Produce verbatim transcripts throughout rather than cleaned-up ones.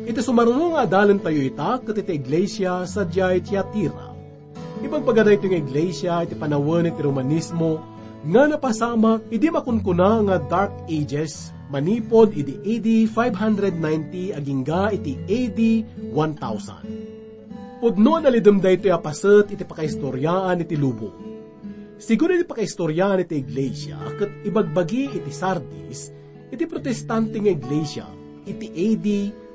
Iti sumaruno nga adalentayo ita ket iti iglesia sadiay Tiatira. Ibagbaga daytoy nga iglesia iti panawen iti Romanismo nga napasamak idi makunkuna nga Dark Ages manipud idi A D five hundred ninety agingga iti A D one thousand. Pudno a nalidem daytoy a paset iti pakaistoriaan iti lubong. Sigun iti pakaistoriaan iti iglesia ket ibagbagi iti Sardis, iti protestante nga iglesia, iti A D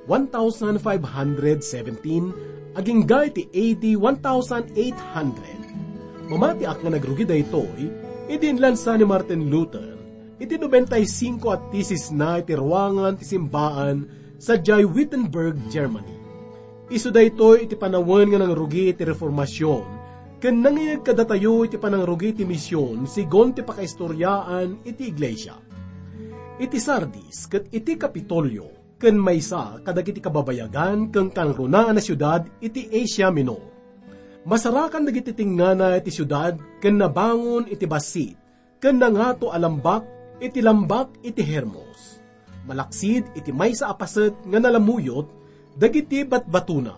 one thousand five hundred seventeen agingga iti A D one thousand eight hundred. Mamatiak nga nagrugi daytoy idi inlansa ni Martin Luther iti nobenta y singko a tesisna iti ruangan ti simbaan sadiay Wittenberg, Germany. Isu daytoy iti panawen nga nangrugi iti Reformasion ken nangngeg kadatayo iti panangrugi ti mision sigun ti pakaistoriaan iti iglesia. Iti Sardis ket iti Kapitolio ken maysa kadagiti kababayagan ken kangrunaan a siudad iti Asia Minor. Masarakan dagiti tengngana iti siudad ken nabangon iti bassit ken nangato a lambak iti Lambak iti Hermos. Malaksid iti maysa a paset nga nalamuyot dagiti batbatona.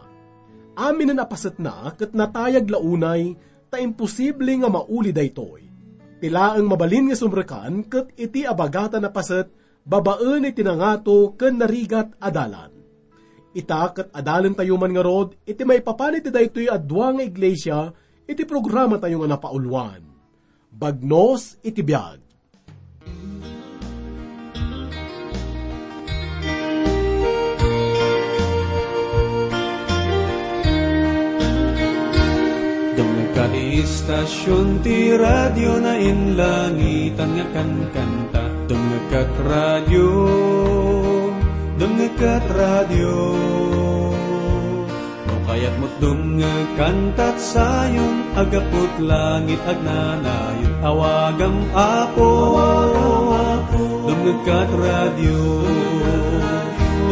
Aminen a pasetna ket natayag la unay ta imposible nga mauli daytoy. Ti laeng mabalin nga sumrekan ket iti abagatan a paset babaen iti nangato ken narigat a dalan. Ita ket adalentayo man ngarud iti maipapan iti daytoy a dua nga iglesia iti programatayo nga napauluan. Bagnos iti biag. Dumngegka ti istasion ti radio nainlangitan nga kankanta. Dumngegka radio, dumngegka radio. No kayat met dumngeg kantat sayon, agaput langit agnanayon. Awagam, Apo, dumngegkat radio,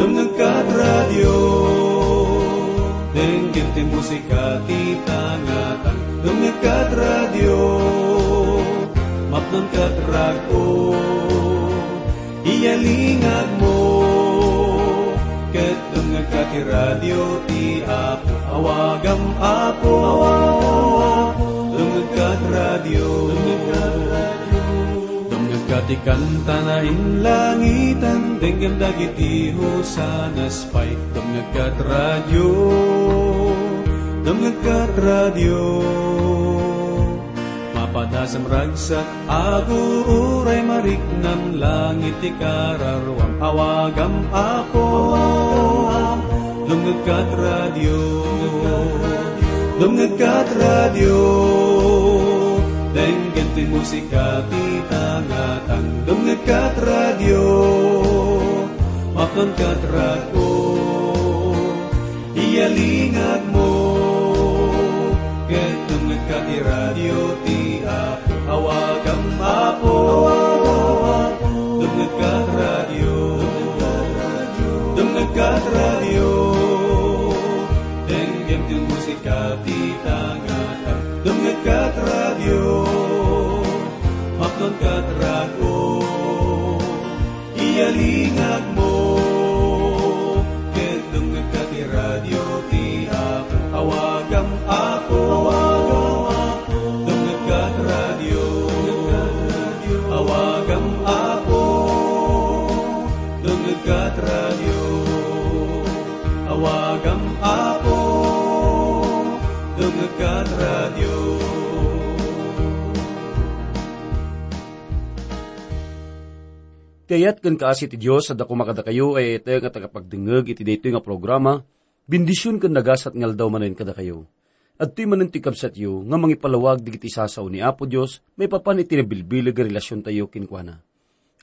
dumngegkat radio. Denggen ti musika ti tangatang, dumngegkat radio. Mapnonkat rag-o. Iyalingagmo, ket dumngegka ti radio ti Apo. Awagam, Apo, dumngegka ti radio. Dumngegka ti kanta nainlangitan, denggem dagiti hosanas pay. Dumngegka ti radio, dumngegka ti radio. Mapadasam ragsak, aguray mariknam, langit ti kararuam, awagam, Apo. Dumngegkat radio, dumngegkat radio, denggen ti musika ti tangatang. Dumngegkat radio, mapnonkat rag-o. Iyalingagmo, ket dumngegka ti radio ti Apo. Awagam, Apo, dumngegka ti radio, dumngegka ti radio, denggem ti musika ti tangatang. Dumngegka ti radio, mapnonkat rag-o. Iyalingagmo, ket dumngegka ti radio ti Apo. Awagam, Apo, dumngegka ti radio. Awagam, Apo, dumngegka ti radio. Awagam, Apo, dumngegka ti radio. Ti ayat ken kaasi ti Dios a dakuma kadakayo, ay ita nga tagapagdengngeg iti daytoy nga programa, bendision ken nagasat nga aldaw manen kadakayo. Adtoy manen ti kabsatyo nga mangipalawag dagiti sasao ni Apo Dios maipapan iti nabilbileg nga relasiontayo kenkuana.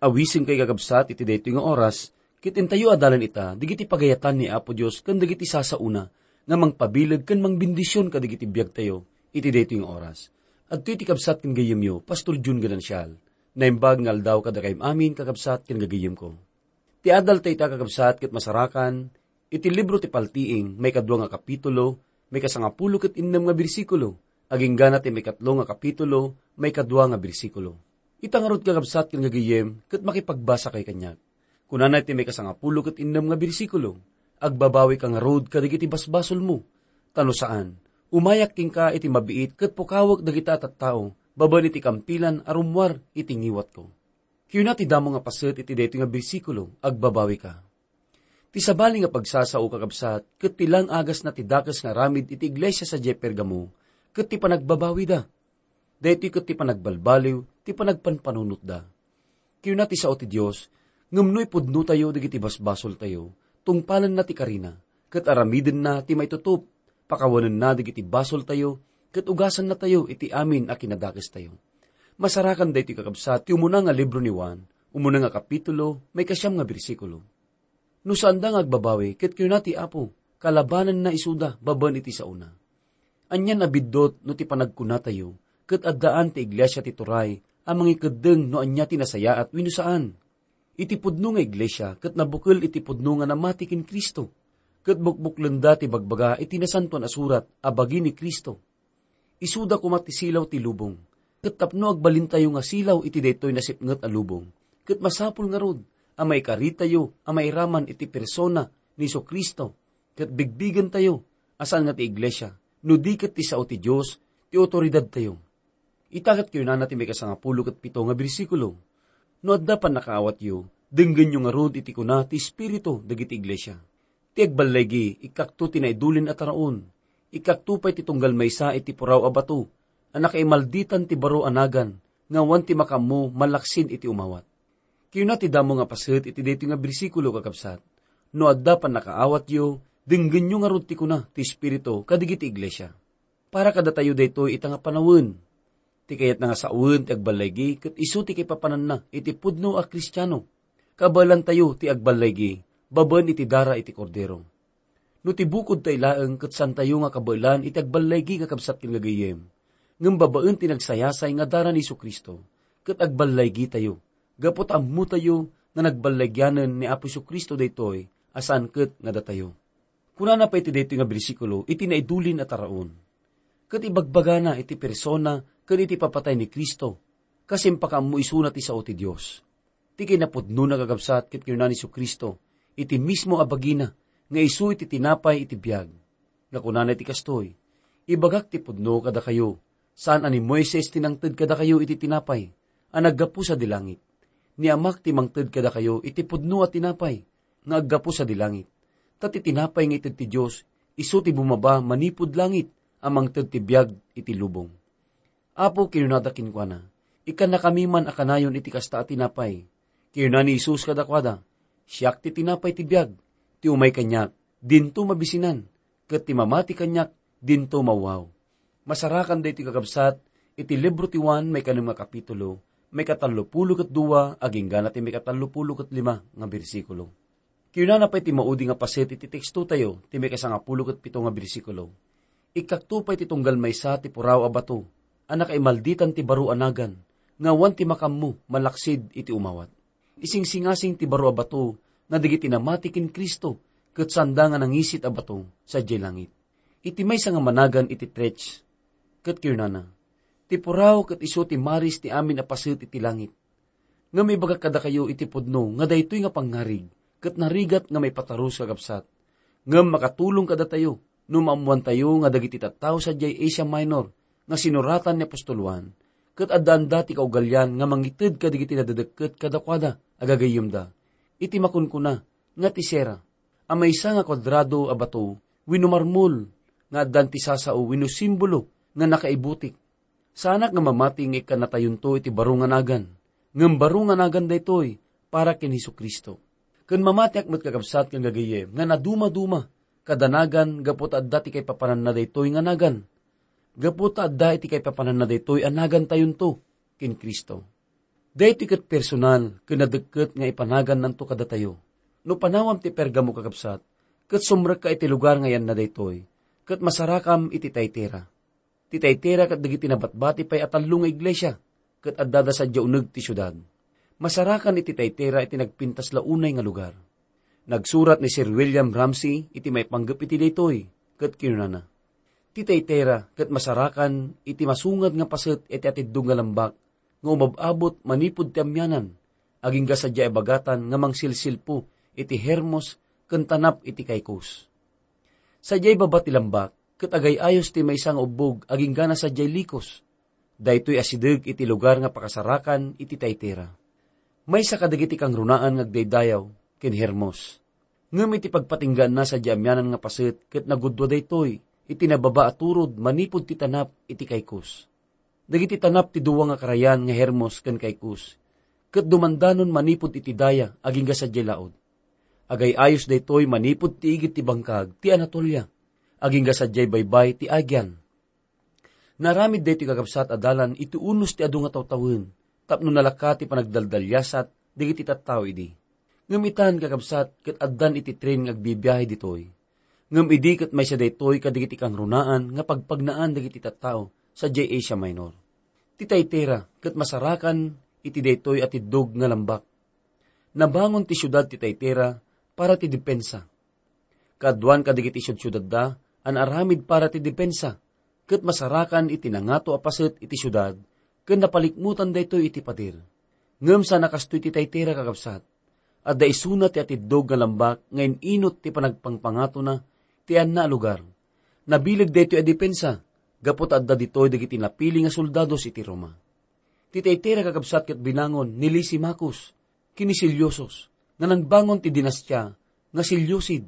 Awisen kay kakabsat iti daytoy nga oras, ket intayo adalan ita dagiti pagayatan ni Apo Dios ken dagiti sasaona nga mangpabileg ken mangbendision kadagiti biagtayo iti daytoy nga oras. Adtoy ti kabsat ken gayyemyo, Pastor Jun Ganancial. Naimbag nga aldaw kadakayam amin, kakabsat ken gagayyemko. Ti adal ta ita, kakabsat, ket masarakan iti libro ti Paltiing, maikadua nga kapitulo, maikasangapulo ket innem nga bersikulo. Aginggana ti maikatlo nga kapitulo, maikadua nga bersikulo. Ita ngarud, kakabsat ken gagayem, ket makipagbasakay kaniak. Kunana iti maikasangapulo ket innem nga bersikulo, "Agbabawika ngarud kadagiti basbasolmo, ta no saan, umayak kenka iti mabiit ket pukawek dagita a tattao babaen iti kampilan a rummuar iti ngiwatko." Kinuna ti damo nga paset iti daytoy nga bersikulo, "Agbabawika." Ti sabali nga pagsasao, kakabsat, ket ti lang-agasna ti dakes nga aramid iti iglesia sadiay Pergamo, ket ti panagbabawida. Daytoy ket ti panagbalbaliw ti panagpanpanunotda. Kinuna ti sao ti Dios, ngem no ipudnotayo dagiti basbasoltayo, tungpalenna ti karina, ket aramidenna ti maitutup, pakawanenna dagiti basoltayo, ket ugasannatayo iti amin a kinadakestayo. Masarakan daytoy, kakabsat, ti umuna nga libro ni Juan, umuna nga kapitulo, maikasiam nga bersikulo. No saanda nga agbabawi, ket kinuna ti Apo, kalabanenna isuda babaen iti saona. Anian a biddut no ti panagkunatayo, ket addaan ti iglesia ti turay a mangikeddeng no ania ti nasayaat wenno saan. Iti pudno nga iglesia ket nabukel iti pudno nga namati ken Cristo, ket bukbuklenda ti bagbaga iti Nasantoan a Surat a bagi ni Cristo. Isuda koma ti silaw ti lubong. Ket tapno agbalintayo nga silaw iti daytoy nasipnget a lubong, ket masapul ngarud a maikaritayo a mairaman iti persona ni Jesu-Cristo, ket bigbigentayo a saan nga ti iglesia, no di ket ti sao ti Dios ti awtoridadtayo. Ita ket kinunana ti maikasangapulo ket pito nga bersikulo, "No adda pannakaawatyo, denggenyo ngarud iti kuna ti Espiritu dagiti iglesia. Ti agballigi, ikkakto ti naidulin a taraon. Ikkakto pay ti tunggal maysa iti puraw a bato a nakaimalditan ti baro a nagan nga awan ti makaammo malaksid iti umawat." Kinuna ti damo nga paset iti daytoy nga bersikulo, kakabsat, "No adda pannakaawatyo, denggenyo ngarud ti kuna ti Espiritu kadagiti iglesia." Para kadatayo daytoy ita nga panawen. Ti kayatna nga sawen ti agballaigi ket isu ti kaipapananna iti pudno a Kristiano. Kabaelantayo ti agballaigi babaen iti dara iti Kordero. No ti bukod tay laeng ket santayo nga kabaelan iti agballaigi nga kabsat ken gagayem, ngem babaen ti nagsayasay nga dara ni Jesu-Cristo, ket agballaigitayo, gapu ta ammotayo nga nagballagianen ni Apo Jesu-Cristo daytoy a saan ket nga datayo. Kunana pay iti daytoy nga bersikulo iti naidulin a taraon, ket ibagbagana iti persona ken iti papatay ni Cristo, kas impakaammo isuna ti sao ti Dios. Ti kinapudnona, kakabsat, ket kinuna ni Jesu-Cristo iti mismo a bagina nga isu iti tinapay iti biag, nga kunana iti kastoy, "Ibagak ti pudno kadakayo, saan a ni Moises ti nangted kadakayo iti tinapay a naggapu sadi langit. Ni Amak ti mangted kadakayo iti pudno a tinapay nga aggapu sadi langit. Ta ti tinapay nga ited ti Dios, isu ti bumaba manipud langit a mangted ti biag iti lubong." "Apo," kinunada kenkuana, "ikkannakami man a kanayon iti kasta a tinapay." Kinuna ni Jesus kadakuada, "Siak ti tinapay ti biag. Ti umay kaniak, dinto mabisinan, ket ti mamati kaniak, dinto mawaw." Masarakan daytoy, kakabsat, iti libro ti Juan, maikanem nga kapitulo, maikatallopulo ket dua, aginggana ti maikatallopulo ket lima nga bersikulo. Kinunana pay ti maudi nga paset iti tekstotayo, ti maikasangapulo ket pito nga bersikulo, "Ikkakto pay ti tunggal maysa ti puraw a bato a nakaimalditan ti baro a nagan, nga awan ti makaammo malaksid iti umawat." Isingsingasing ti baro a bato nga dagiti namati ken Cristo, ket saanda nga nangisit a bato sadiay langit. Iti maysa nga managan iti Tresh, ket kinunana, "Ti puraw ket isu ti maris ti amin a paset iti langit." Ngem ibagak kadakayo iti pudno nga daytoy nga pangngarig ket narigat nga maipatarus, kakabsat. Ngem makatulong kadatayo no maammoantayo nga dagiti tattao sadiay Asia Minor nga sinuratan ni apostol Juan, ket addaanda ti kaugalian nga mangited kadagiti nadadekket kadakuada a gagayyemda iti makunkuna nga ti sera, a maysa nga kuadrado a bato wenno marmol nga addan ti sasao wenno simbolo nga nakaibutik. Saanak nga mamati nga ikkannatayonto iti baro nga nagan, ngem baro nga nagan daytoy para ken Jesu-Cristo. Ken mamatiak met, kakabsat ken gagayyem, nga nadumaduma kada nagan gapu ta adda ti kaipapananna daytoy nga nagan. Gapu ta adda iti kaipapananna daytoy a nagantayonto ken Cristo. Daytoy ket personal ken nadekket nga ipanagannanto kadatayo. No panawam ti Pergamo, kakabsat, ket sumrekka iti lugar nga yanna daytoy, ket masarakam iti Tiatira. Ti Tiatira ket dagiti nabatbati pay a tallo nga iglesia, ket addada sadiay uneg ti siudad. Masarakan iti Tiatira iti nagpintas la unay nga lugar. Nagsurat ni Sir William Ramsay iti maipanggep iti daytoy, ket kinunana, Ti Thyatira ket masarakan iti masungad nga paset iti atiddog nga lambak nga umab-abot manipud ti amianan, agingga sadiay a bagatan nga mangsilsilpo iti Hermos ken tanap iti Caicus. Sadiay baba ti lambak, ket agay-ayos ti maysa nga ubbog agingga na sadiay Licos. Daytoy asideg iti lugar nga pakasarakan iti Thyatira. Maysa kadagiti kangrunaan nga agdaydayaw ken Hermos. Ngem iti pagpatinggaanna sadiay amianan nga paset ket nagudua daytoy iti nababa a turod manipud ti tanap iti Caicus. Dagiti tanap ti dua nga karayan nga Hermos ken Caicus, ket dumandanon manipud iti daya agingga sadiay laud. Agay-ayos daytoy manipud ti igid ti bangkag ti Anatolia, agingga sadiay baybay ti Aegean. Naaramid daytoy, kakabsat, a dalan iti unos ti adu nga tawtawen tapno nalaka ti panagdaldaliasat dagiti tattao idi. Ngem itan, kakabsat, ket addan iti tren nga agbibiahe ditoy. Ngem idi ket maysa daytoy kadagiti kangrunaan nga pagpagnaan dagiti tattao sadiay Asia Minor. Ti Thyatira ket masarakan iti daytoy a tiddog nga lambak. Nabangon ti siudad ti Thyatira para ti depensa. Kaaduan kadagiti siudsiudadda a naaramid para ti depensa, ket masarakan iti nangato a paset iti siudad, ken napalikmutan daytoy iti pader. Ngem saan a kastoy ti Thyatira, kakabsat. Adda isuna ti atiddog nga lambak nga in-inut ti panagpangpangatona ti anna a lugar. Nabileg daytoy a depensa, gapu ta adda ditoy dagiti napili nga soldados iti Roma. Ti Thyatira, kakabsat, ket binangon ni Lysimachus ken ni Seleucus, nga nangbangon ti dinastia nga Seleucid,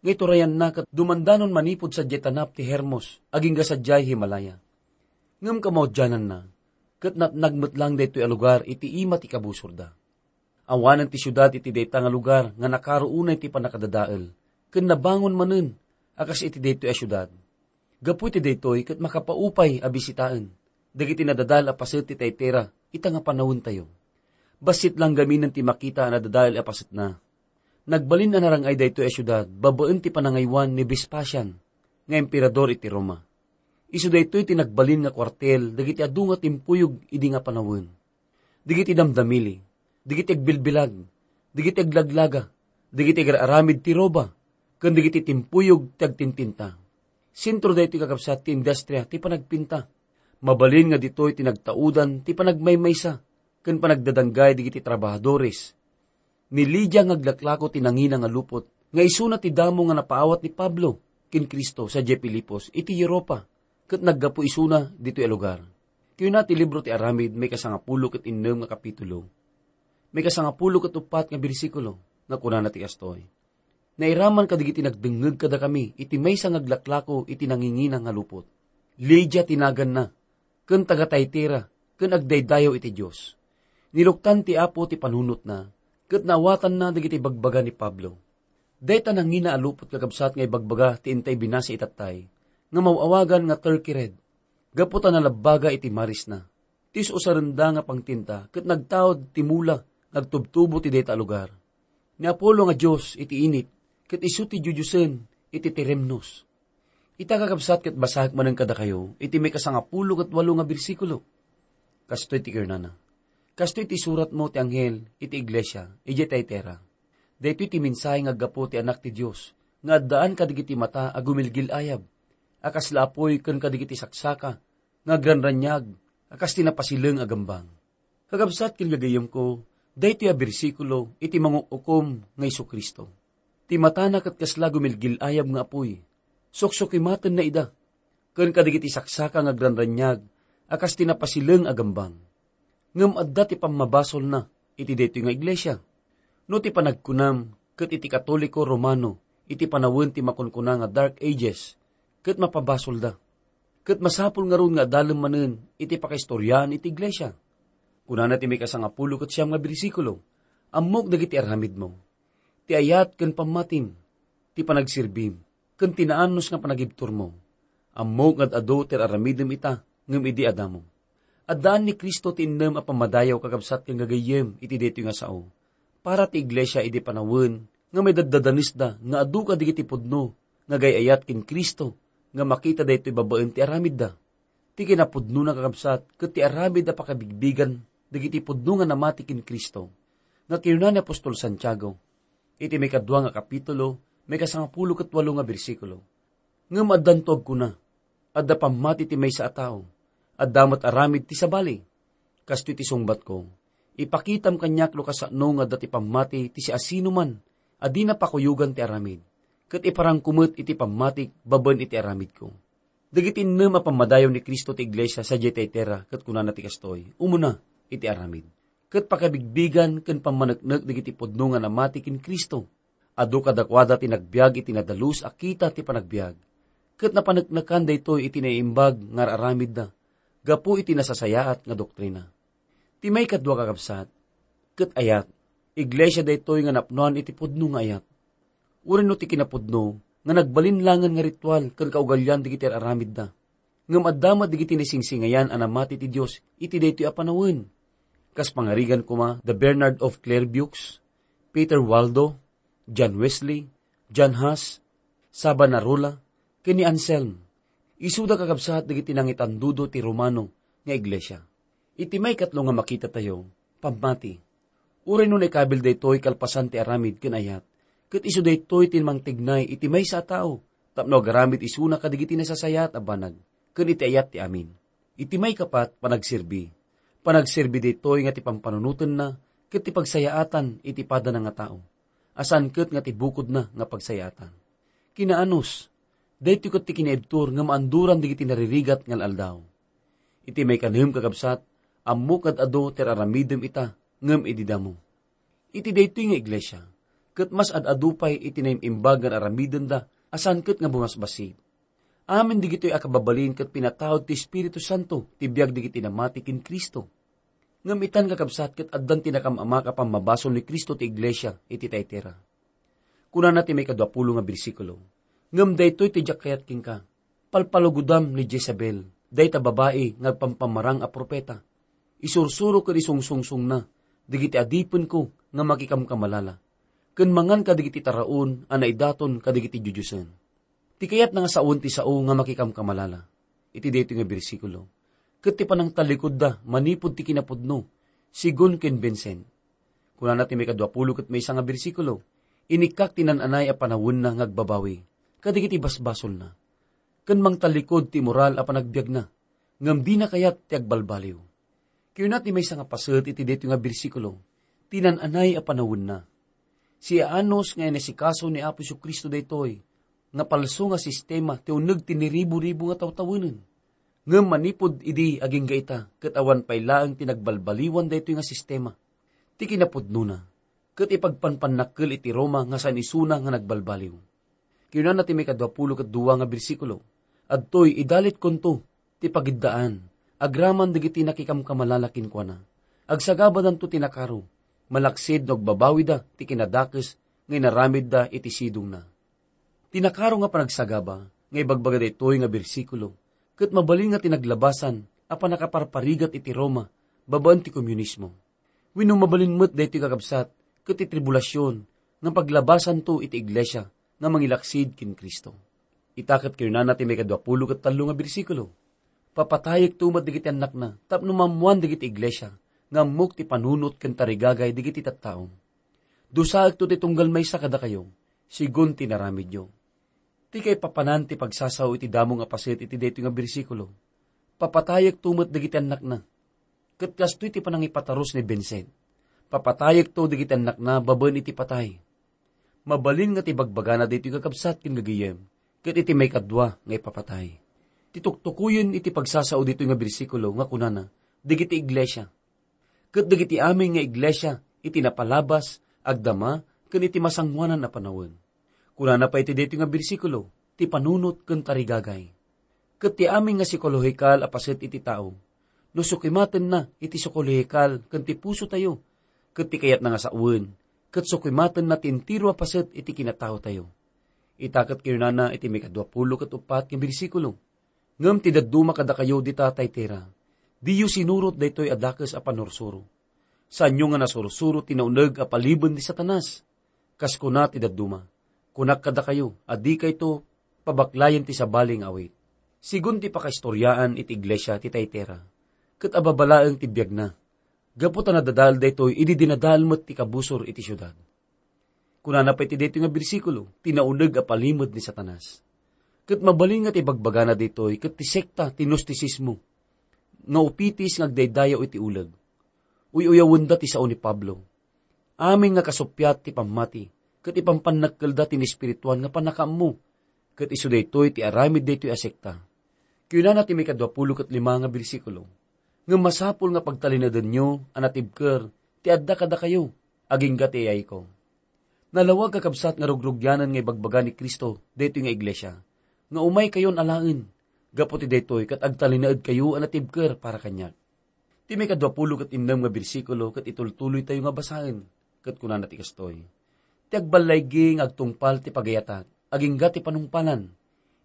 nga iturayanna ket dumandanon manipud sadiay tanap ti Hermos agingga sadiay Himalaya. Ngem kamaudiananna, ket natnag met lang daytoy a lugar iti ima ti kabusorda. Awanen ti siudad iti dayta nga lugar nga nakaro unay ti pannakadadael, ken nabangon manen a kas iti daytoy a siudad. Gapu iti daytoy ket makapaupay a bisitaen dagiti nadadael a paset ti Thyatira ita nga panawentayo. Bassit lang gaminen ti makita a nadadael a pasetna. Nagbalin a narang-ay daytoy a siudad babaen ti panangaywan ni Vespasian nga emperador iti Roma. Isu daytoy ti nagbalin nga kuartel dagiti adu nga timpuyog idi nga panawen. Dagiti damdamili, dagiti agbilbilag, dagiti aglaglaga, dagiti agar-aramid ti roba, ken dagiti timpuyog ti agtintinta. Sentro daytoy, kakabsat, ti industria ti panagpinta. Mabalin nga ditoy ti nagtaudan ti panagmaymaysa ken panagdadanggay dagiti trabahadores. Ni Lidia nga aglaklako ti nangina nga lupot, nga isuna ti damo nga napaawat ni Pablo ken Cristo sadiay Filipos iti Europa, ket naggapu isuna ditoy a lugar. Kuna ti libro ti Aramid, maikasangapulo ket innem nga kapitulo, maikasangapulo ket uppat nga bersikulo, nga kunana ti kastoy: Nairaman kadagiti nagdengngeg kadakami iti maysa nga aglaklako iti nangingina nga lupot. Lidia ti naganna, ken taga-Thyatira, ken agdaydayaw iti Dios. Niluktan ti Apo ti panunotna, ket naawatanna dagiti bagbaga ni Pablo. Dayta nangina a lupot, kakabsat, nga ibagbaga ti intay binasa itattay, nga maw-awagan nga Turkey red, gapu ta nalabbaga iti marisna. Ti us-usarenda nga pangtinta ket nagtaud ti mula nga agtubtubo ti dayta a lugar. Ni Apollo nga dios iti init, ket isu ti diodiosen iti tiremnos. Ita, kakabsat, ket basaek manen kadakayo iti maikasangapulo ket walo nga bersikulo. Kastoy ti kunana: Kastoy ti suratmo ti anghel iti iglesia idiay Thyatira. Daytoy ti mensahe nga aggapu ti Anak ti Dios, nga addaan kadagiti mata a gumilgil-ayab, a kasla apuy, ken kadagiti saksaka nga agranraniag a kas ti napasileng a gambang. Kakabsat ken gagayyemko, daytoy a bersikulo iti manguk-ukom nga Jesu-Cristo. Ti matana ket kasla gumilgil-ayab nga apuy. Suksukimatenna ida, ken kadagiti saksaka nga agranraniag a kas ti napasileng a gambang. Ngem adda ti pammabasolna iti daytoy nga iglesia. No ti panagkunam ket iti Katoliko Romano iti panawen ti makunkuna nga Dark Ages, ket mapabasolda. Ket masapul ngarud nga adalem manen iti pakaistoriaan iti iglesia. Kunana ti maikasangapulo ket siam nga bersikulo: Ammok dagiti aramidmo, ti ayat ken pammatim, ti panagserbim, ken ti naanus nga panagibturmo. Ammok nga ad-adu ti ar-aramidem ita ngem idi adda mo. Addaan ni Cristo ti innem a pammadayaw, kakabsat ken gagayyem, iti daytoy nga sao. Para ti iglesia idi panawen nga maidaddadanesda nga adu kadagiti pudno nga agay-ayat ken Cristo nga makita daytoy babaen ti aramidda. Ti kinapudnona, kakabsat, ket ti aramid a pakabigbigan dagiti pudno nga namati ken Cristo. Nga kinuna ni apostol Santiago iti maikadua nga kapitulo, maikasangapulo ket walo nga bersikulo: Ngem addanto agkuna, Adda pammati ti maysa a tao. Adda met aramid ti sabali. Kastoy ti sungbatko, ipakitam kaniak no kasano nga adda ti pammati ti siasinoman a dina pakuyogan ti aramid, ket iparangko met iti pammatik babaen iti aramidko. Dagiti innem a pammadayaw ni Cristo ti iglesia sadiay Tiatira ket kunana ti kastoy, umuna iti aramid, ket pakabigbigan ken pammaneknek dagiti pudno nga namati ken Cristo. Adu kadakuada ti nagbiag iti nadalus a kita ti panagbiag, ket napaneknekan daytoy iti naimbag nga ar-aramidda gapu iti nasasayaat nga doktrina. Ti maikadua, kakabsat, ket ayat, iglesia daytoy nga napnoan iti pudno nga ayat. Uray no ti kinapudno nga nagbalin langen nga ritual ken kaugalian dagiti ar-aramidda. Ngem adda met dagiti naisingsingayan a namati ti Dios iti daytoy a panawen. Kas pangarigan koma da Bernard of Clairvaux, Peter Waldo, John Wesley, John Huss, Savonarola, ken ni Anselm. Isuda, kakabsat, dagiti nangitandudo ti Romano nga iglesia. Iti maikatlo nga makitatayo, pammati. Uray no naikabil daytoy kalpasan ti aramid ken ayat, ket isu daytoy ti mangtignay iti maysa a tao tapno agaramid isuna kadagiti nasasayaat a banag ken iti ayat ti amin. Iti maikapat, panagserbi. Panagserbi daytoy nga ti pampanunotenna ket ti pagsayaatan iti padana nga tao, a saan ket nga ti bukodna nga pagsayaatan. Kinaanus, daytoy ket ti kinaibtur nga maanduran dagiti naririgat nga al-aldaw. Iti maikanem, kakabsat, ammok ad-adu ti ar-aramidem ita ngem idi damo. Iti daytoy nga iglesia, ket mas ad-adu pay iti naim-imbag nga ar-aramidenda a saan ket nga bumasbassit. Amin dagitoy a kababalin ket pinataud ti Espiritu Santo ti biag dagiti namati ken Cristo. Ngem itan, kakabsat, ket addan ti nakam-amak a pammabasol ni Cristo ti iglesia iti Tiatira. Kunana ti maikadua pulo nga bersikulo, "Ngem daytoy ti diak kayat kenka, palpalugodam ni Jezebel, dayta babai nga agpampamarang a profeta. Isursuro ken isungsungsongna dagiti adipenko nga makikamkamalala, ken mangan kadagiti taraon a naidaton kadagiti diodiosen." Ti kayatna nga sawen ti sao nga makikamkamalala iti daytoy nga bersikulo, ket ti panangtallikudda manipud ti kinapudno, sigun ken Vincent. Kunana ti maikadua pulo ket maysa nga bersikulo, "Inikkak ti nan-anay a panawenna nga agbabawi kadagiti basbasolna, ken mangtallikud ti moral a panagbiagna, ngem dina kayat ti agbalbaliw." Kinuna ti maysa nga paset iti daytoy nga bersikulo, ti nan-anay a panawenna. Siaanus nga inasikaso ni Apo Jesu-Cristo daytoy nga palso nga sistema ti uneg ti niribu-ribu nga tawtawenen. Ngem manipud idi agingga ita, ket awan pay laeng ti nagbalbaliwan daytoy nga sistema. Ti kinapudnona, ket ipagpanpannakkel iti Roma nga saan isuna nga nagbalbaliw. Kinunana ti maikadua pulo ket dua nga bersikulo, "Adtoy, idalitkonto ti pagiddaan agraman dagiti nakikamkamalala kenkuana. Agsagabadanto ti nakaro, malaksid no agbabawida ti kinadakes nga inaramidda iti sidongna." Ti nakaro nga panagsagaba nga ibagbaga daytoy nga bersikulo, ket mabalin nga ti naglabasan a pannakaparparigat iti Roma babaen ti komunismo. Wenno mabalin met daytoy, kakabsat, ket ti tribulasion nga paglabasanto iti iglesia nga mangilaksid ken Cristo. Ita ket kinunana ti maikadua pulo ket tallo nga bersikulo, "Papatayekto met dagiti annakna tapno maammoan dagiti iglesia nga ammok ti panunot ken tarigagay dagiti tattaom. Dusaekto ti tunggal maysa kadakayo, sigun ti naramidyo." Ti kaipapanan ti pagsasao iti damo nga paset iti daytoy nga bersikulo, "Papatayekto met dagiti annakna." Ket kastoy ti panangipatarus ni Vincent, "Papatayekto dagiti annakna babaen iti patay." Mabalin nga ti bagbagana daytoy, kakabsat ken gagayem, ket iti maikadua nga ipapatay. Ti tuktukoyen iti pagsasao ditoy nga bersikulo nga kunana, dagiti iglesia, ket dagiti amin nga iglesia iti napalabas, agdama, ken iti masangoanan a panawen. Kunana pay iti daytoy nga bersikulo, ti panunot ken tarigagay. Ket ti amin nga psikolohikal a paset iti tao, no sukimatenna iti psikolohikal ken ti pusotayo, ket ti kayatna nga sawen, ket sukimatenna ti entero a paset iti kinataotayo. Ita ket kinunana iti maikadua pulo ket uppat nga bersikulo, "Ngem ti dadduma kadakayo dita Tiatira, diyo sinurot daytoy a dakes a pannursuro. Saanyo nga nasursuro ti nauneg a paliben ni Satanas. Kas kuna ti dadduma, kunak kadakayo a dikayto pabaklayen ti sabali nga awit." Sigun ti pakaistoriaan iti iglesia ti Tiatira, ket ababa laeng ti biagna, gapu ta nadadael daytoy idi dinadael met ti kabusor iti siudad. Kunana pay iti daytoy nga bersikulo, ti nauneg a palimed ni Satanas. Ket mabalin nga ti bagbagana ditoy ket ti sekta ti Gnosticismo, nga upitis nga agdaydayaw iti uleg. Uy-uyawenda ti sao ni Pablo. Amin nga kasuppiat ti pammati, ket ipampannakkelda ti naespirituan nga pannakaammo, ket isu daytoy ti aramid daytoy a sekta. Kunana ti maikadua pulo ket lima nga bersikulo, "Ngem masapul nga pagtalinaedenyo a natibker ti adda kadakayo, agingga ti ayayko." Nalawag, kakabsat, nga rugrugianen nga ibagbaga ni Cristo daytoy nga iglesia, nga umaykayon alaen. Gapu ti daytoy ket agtalinaedkayo a natibker para kaniak. Ti maikadua pulo ket innem nga bersikulo ket itultuloytayo nga basaen, ket kunana ti kastoy, "Ti agballaygi nga agtungpal ti pagayatak, agingga ti panungpalan.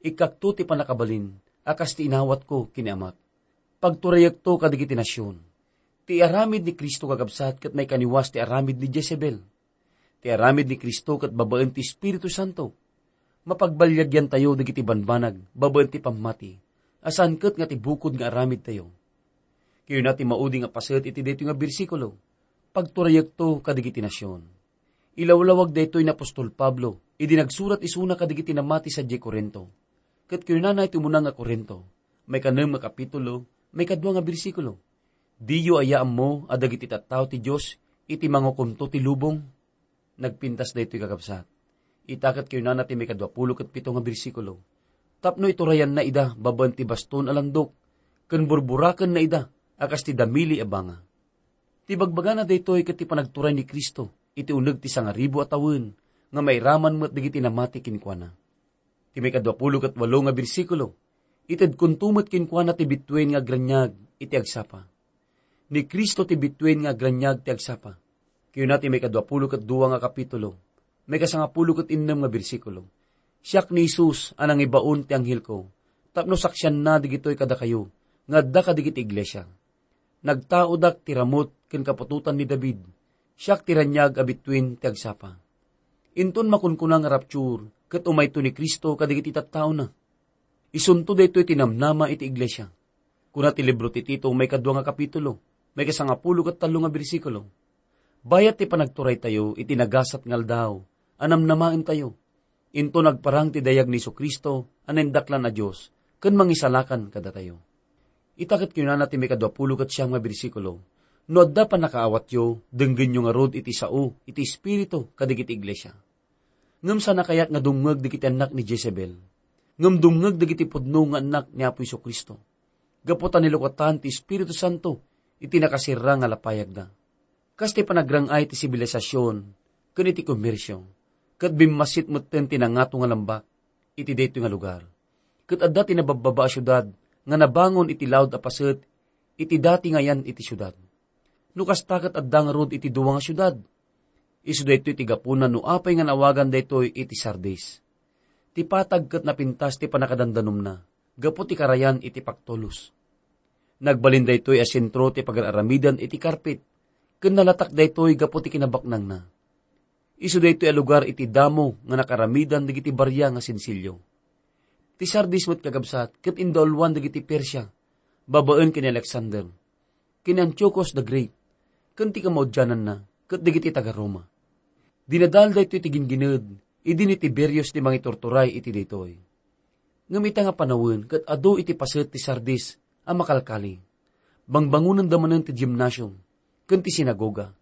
Ikkakto ti pannakabalin a kas ti inawatko ken ni Amak. Pagturayekto kadagiti nasion." Ti aramid ni Cristo, kakabsat, ket maikaniwas ti aramid ni Jezebel. Ti aramid ni Cristo ket babaen ti Espiritu Santo. Mapagbaliagyantayo dagiti banbanag babaen ti pammati, a saan ket nga ti bukod nga aramidtayo. Kayuna ti maudi nga paset iti daytoy nga bersikulo, "Pagturayekto kadagiti nasion." Ilawlawag daytoy ni apostol Pablo idi nagsurat isuna kadagiti namati sadiay Corinto. Ket kunana iti umuna nga Corinto, maikanem nga kapitulo, maikadua nga bersikulo, "Diyo aya ammo a dagiti tattao ti Dios iti mangukomto ti lubong?" Nagpintas daytoy, kakabsat. Ita ket kunana ti maikadua pulo ket pito nga bersikulo, "Tapno iturayanna ida babaen ti baston a landok, ken burburakenna ida a kas ti damili a banga." Ti bagbagana daytoy ket ti panagturay ni Cristo iti uneg ti sangaribu a tawen nga mairaman met dagiti namati kenkuana. Ti maikadua pulo ket walo nga bersikulo, itedkonto met kenkuana ti bituen nga agraniag iti agsapa. Ni Cristo ti bituen nga agraniag ti agsapa. Kayuna ti maikadua pulo ket dua nga kapitulo, maikasangapulo ket innem nga bersikulo, "Siak ni Jesus a nangibaon ti anghelko, tapno saksianna dagitoy kadakayo nga adda kadagiti iglesia. Nagtaodak ti ramut ken kaputotan ni David. Siak ti raniag a bituen ti agsapa." Inton makunkuna nga rapture, ket umayto ni Cristo kadagiti tattaona. Isunto daytoy ti namnama iti iglesia. Kuna ti libro ti Tito, maikadua nga kapitulo, maikasangapulo ket tallo nga bersikulo, "Bayat ti panagturaytayo iti nagasat nga aldaw a namnamaentayo, inton agparang ti dayag ni Jesu-Cristo a naindaklan a Dios ken Mangisalakan kadatayo." Ita ket kinunana ti maikadua pulo ket siam nga bersikulo, "No adda pannakaawatyo, denggenyo ngarud iti sao iti Espiritu kadagiti iglesia." Ngem saan a kayat nga dumngeg dagiti annak ni Jezebel, ngem dumngeg dagiti pudno nga annak ni Apo Jesu-Cristo, gapu ta nilukatan ti Espiritu Santo iti nakasirra nga lapayagda. Kas ti panagrang-ay ti sibilisasyon ken iti komersio, ket bimmassit metten ti nangato nga lambak iti daytoy nga lugar. Ket adda ti nababbaba a siudad nga nabangon iti laud a paset iti dati nga ayan iti siudad. No kasta, ket adda ngarud iti dua nga siudad. Isu daytoy ti gapuna no apay nga naawagan daytoy iti Sardis. Ti patag ket napintas ti pannakadandanumna gapu ti karayan iti pagtulus. Nagbalin daytoy a sentro ti pagar-aramidan iti karpet, ken nalatak daytoy gapu ti kinabaknangna. Isu daytoy a lugar iti damo nga nakaramidan dagiti baria nga sensilio. Ti Sardis met, kakabsat, ket indauluan dagiti Persia, babaen ken ni Alexander, ken ni Antiochus the Great, ken ti kamaudiananna ket dagiti taga-Roma. Dinadael daytoy ti gingined idi ni Tiberius ti mangiturturay iti daytoy. Ngem ita nga panawen ket adu iti paset ti Sardis a makalkali. Bangbangonenda manen ti gimnasium ken ti sinagoga,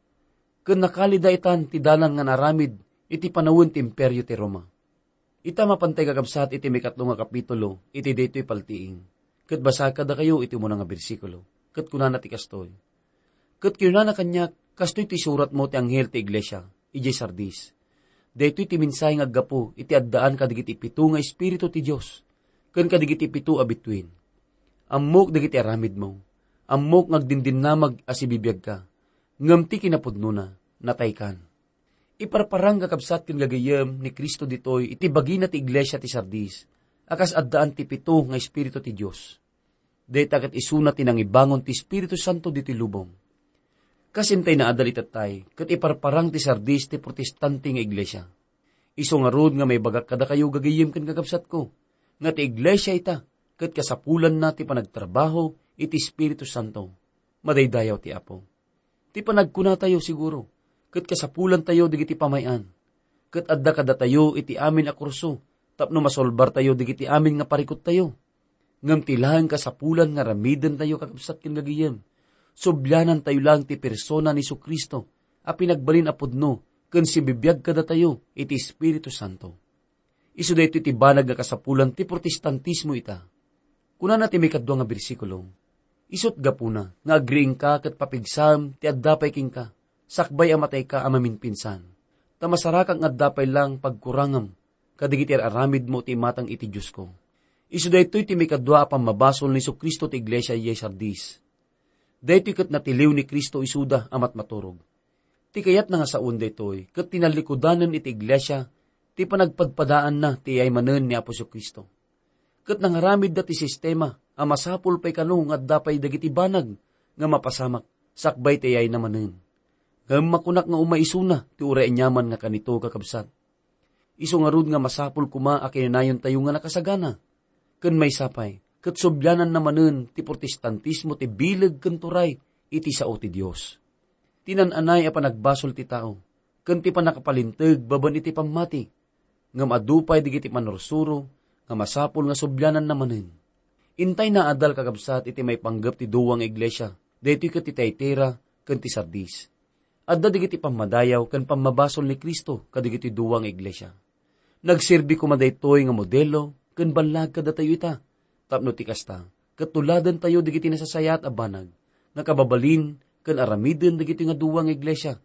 ken nakalida itan ti dalan nga naaramid iti panawen ti Imperio ti Roma. Ita mapantay, kakabsat, iti maikatlo nga kapitulo iti daytoy paltiing, ket basaek kadakayo iti umuna nga bersikulo, ket kunana ti kastoy, "Ket kinunana kaniak, 'Kastoy ti isuratmo ti anghel ti iglesia idiay Sardis: Daytoy ti mensahe nga aggapu iti addaan kadagiti pito nga espiritu ti Dios ken kadagiti pito a bituen: Ammok dagiti aramidmo, ammok nga agdindinnamag a sibibiagka, ngem ti kinapudnona, nataykan.'" Iparparang, kakabsat ken gagayyem, ni Cristo ditoy iti bagina ti iglesia ti Sardis a kas addaan ti pito nga espiritu ti Dios. Dayta ket isuna ti nangibangon ti Espiritu Santo ditoy lubong. Kas intay naadal itattay, ket iparparang ti Sardis ti protestante nga iglesia. Isu ngarud nga maibagak kadakayo, gagayyem ken kakabsatko, nga ti iglesia ita ket kasapulanna ti panagtrabaho iti Espiritu Santo. Madaydayaw ti Apo. Ti panagkunatayo, siguro, ket kasapulantayo dagiti pamay-an, ket adda kadatayo iti amin a kurso tapno masolbartayo dagiti amin nga parikuttayo. Ngem ti laeng kasapulan nga aramidentayo, kakabsat ken gagayem, sublianantayo laeng ti persona ni Jesu-Cristo a pinagbalin a pudno ken sibibiag kadatayo iti Espiritu Santo. Isu daytoy ti banag nga kasapulan ti Protestantismo ita. Kunana ti maikadua nga bersikulo, "Isut' gapuna nga agriingka ket papigsaem ti adda pay kenka, sakbay a matayka a maminpinsan. Ta masarakak nga adda pay laeng pagkurangem kadagiti ar-aramidmo ti imatang iti Diosko." Isu daytoy ti maikadua a pammabasol ni Jesu-Cristo ti iglesia idiay Sardis. Daytoy ket natiliw ni Cristo isuda a matmaturog. Ti kayatna nga sawen daytoy ket tinallikudanen iti iglesia ti panagpadpadaanna ti iyay manen ni Apo Jesu-Cristo. Ket nangaramidda ti sistema a masapul pay kano nga adda pay dagiti banag nga mapasamak sakbay ti iyayna manen. Ngem makunak nga umaisuna ti uray aniaman nga kanito, kakabsat. Isu ngarud nga masapul koma a kinanayontayo nga nakasagana. Ken maysa pay, ket subliananna manen ti Protestantismo ti bileg ken turay iti sao ti Dios. Ti naan-anay a panagbasol ti tao, ken ti pannakapalinteg babaen iti pammati, ngem adu pay dagiti pannursuro nga masapul nga subliananna manen. Intay naadal, kakabsat, iti maipanggep ti dua nga iglesia, daytoy ket ti Tiatira ken ti Sardis. Adda dagiti pammadayaw ken pammabasol ni Cristo kadagiti dua nga iglesia. Nagserbi koma daytoy nga modelo ken ballag kadatayo ita, tapno ti kasta, ket tuladentayo dagiti nasasayaat a banag nga kababalin ken aramiden dagiti nga dua nga iglesia,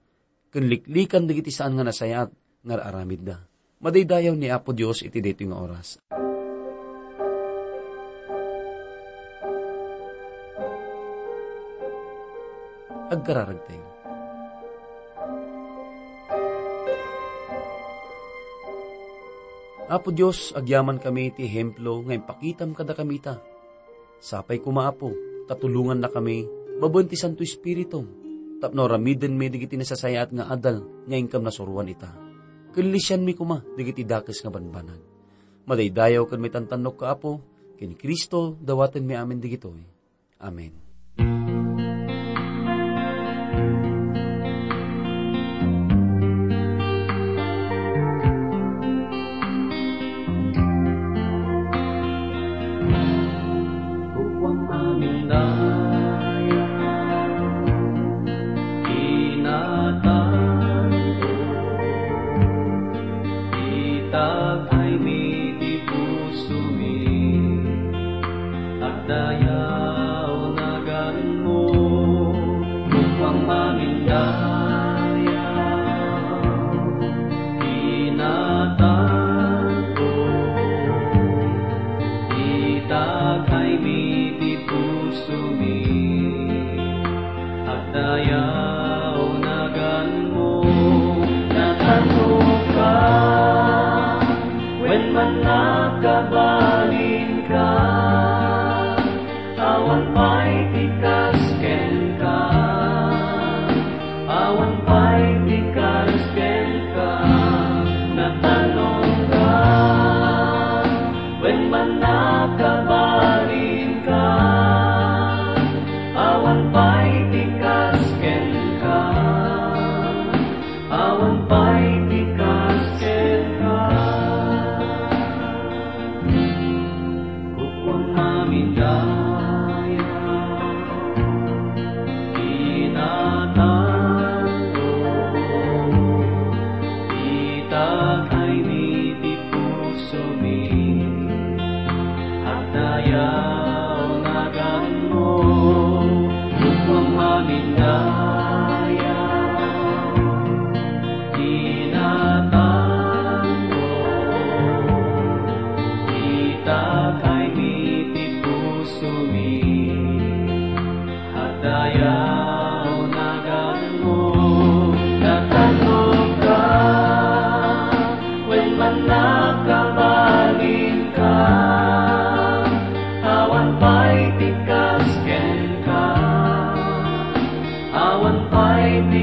ken liklikan dagiti saan nga nasayaat nga ar-aramidda. Madaydayaw ni Apo Dios iti daytoy nga oras. Agkararagtayo. Apo Dios, agyamankami iti ehemplo nga impakitam kadakami ita. Sapay koma, Apo, ta tulongannakami babaen ti Santo Espiritum tapno aramidenmi dagiti nasasayaat nga adal nga inkam nasuroan ita. Ken lisianmi koma dagiti dakes nga banbanag. Madaydayaw ken maitantannokka, Apo, ken Cristo dawatenmi amin dagitoy. Amen. Kukuam amin daya, inatanto, itag-aymi ti pusomi. Agdayaw naganmo, kukuam amin daya, inatanto, itag-aymi ti pusomi. Agdayaw naganmo, natantoka, wen man nakabalinka, awan pay ti kas kenka, awan pay ti kas kenka, natantoka, wen man nakabalinka, awan pay ti kas kenka, awan pay ti kas kenka. Kukuam amin daya, inatanto, itag-aymi ti pusomi. Agdayaw naganmo, kukuam amin daya, inatanto, itag-aymi ti pusomi. Agdayaw naganmo, natantoka, wen man nakabalinka, awan pay ti kas kenka, awan pay ti